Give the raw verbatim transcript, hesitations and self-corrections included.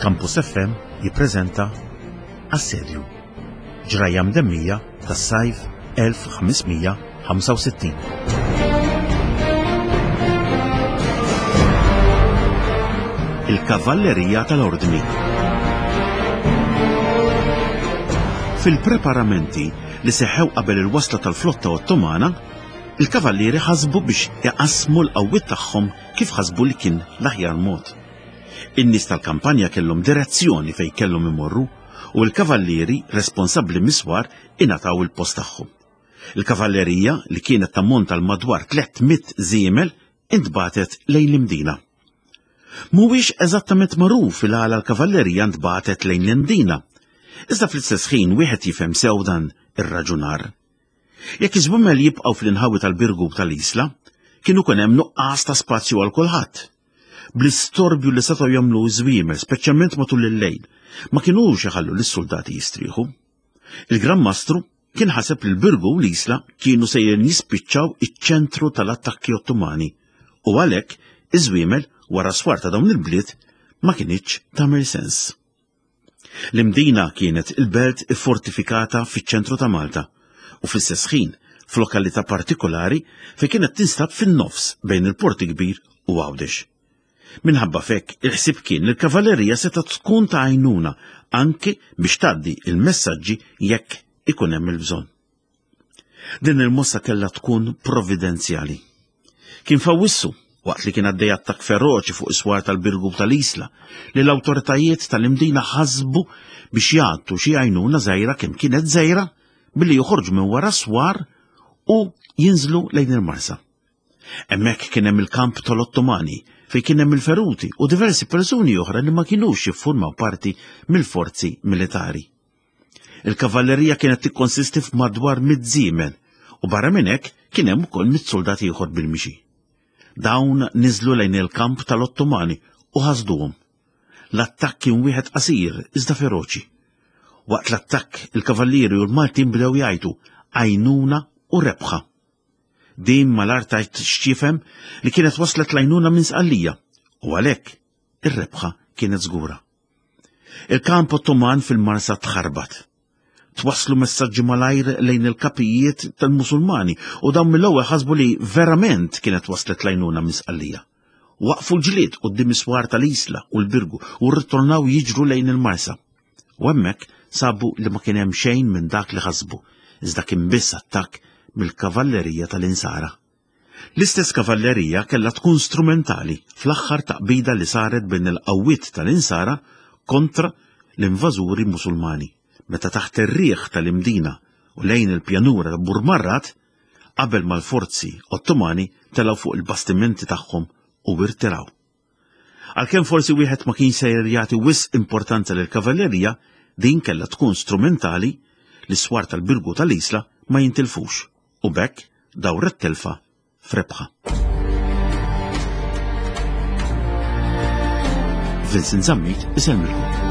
Campus F M jippreżenta Assedju, ġrajja mdemmija tas-sajf elf ħames mija ħamsa u sittin. Il-Kavallerija tal-Ordni. Fil-preparamenti li seħħew qabel il-wasla tal-flotta Ottomana, il-kavallieri ħasbu biex iqassmu l-qawwiet tagħhom kif ħasbu li kien l-aħjar mod. In-nies tal-kampanja kellhom direzzjoni fejn kellhom imorru u l-kavallieri responsabbli miswar ingħataw il-post tagħhom. Il-kavallerija li kienet tammonta l madwar tliet mitt żiemel intbatet lejn l-Imdina. Mhuwiex eżattament magħruf il għala l-kavallerija ntbatet lejn l-Imdina. Iżda fl-istess ħin wieħed jifhem sew dan ir-raġunar. Jekk iż-żwiemel jibqgħu fl-inħawi tal-Birgu tal-Isla, kienu kien hemm nuqqas ta' spazju għal kulħadd. Bl-istorbju li setgħu jagħmlu ż-żwiemel, speċjalment matul il-lejl, ma kinux iħallu lis-soldati jistrieħu. Il-Gran Mastru kien ħaseb li l-Birgu u l-Isla kienu sejrin jispiċċaw iċ-ċentru tal-attakki Ottomani u għalhekk iż-żwiemel wara swar ta' dawn il-bliet ma kinitx tagħmel sens. L-Imdina kienet il-belt iffortifikata fiċ-ċentru ta' Malta u fl-istess ħin f'lokalità partikolari fejn kienet tinstab fin-nofs bejn il-Port Kbir u Għawdex. Minħabba fekk il-ħsieb kien li l-kavallerija setgħet tkun ta' għajnuna anke biex tgħaddi il-messaġġi jekk ikun hemm il-bżonn. Din il-mossa kellha tkun provvidenzjali. Kien f'Awwissu, waqt li kien għaddej attakk feroċi fuq is-swar tal-Birgu tal-Isla, li l-awtoritajiet tal-Imdina ħasbu biex jagħtu xi għajnuna żgħira kemm kienet żgħira billi joħorġu minn wara swar u jinżlu lejn il-Marsa. Hemmhekk kien hemm il-kamp tal-Ottomani fejn kien hemm il-feruti u diversi persuni oħra li ma kinux jiffurmaw parti mill-forzi militari. Il-kavallerija kienet tikkonsisti f'madwar mitt żiemel u barra minn hekk kien hemm ukoll mitt soldat ieħor bil-mixi. Dawn niżlu lejn il-kamp tal-Ottomani u ħasduhom. L-attakk kien wieħed qasir iżda feroċi. Waqt l-attakk il-kavallieri u l-Maltin bdew jgħidu għajnuna u rebħa. Din mal-art tajt x'tifhem li kienet waslet l-għajnuna minn Sqallija u għalhekk ir-rebħa kienet żgura. Il-kamp Ottoman fil-Marsa tħarbat. Twasslu messaġġi malajr lejn il-kapijiet tal-Musulmani u dawn mill-ewwel ħasbu li verament kienet waslet l-għajnuna minn Sqallija. Waqfu l-ġlied quddiem is-swar tal-Isla u l-Birgu u rritornaw jiġru lejn il-Marsa. U hemmhekk sabu li ma kien hemm xejn minn dak li ħasbu, iżda kien biss attakk mill-kavallerija tal-Insara. L-istess kavallerija kellha tkun strumentali fl-aħħar taqbida li saret bejn il-qawwiet tal-Insara kontra l-invażuri Musulmani, meta taħt ir-riħ tal-Imdina u lejn il-pjanura ta' Burmarrad, qabel mal-forzi Ottomani telgħu fuq il-bastimenti tagħhom u irtiraw. Għalkemm forsi wieħed ma kienx sejjer jagħti wisq importanza lill-kavallerija, din kellha tkun strumentali li s-swar tal-Birgu tal-Isla ma jintilfux u b'hekk dawret telfa f'rebħa. Vincent Zammit isellmilkom.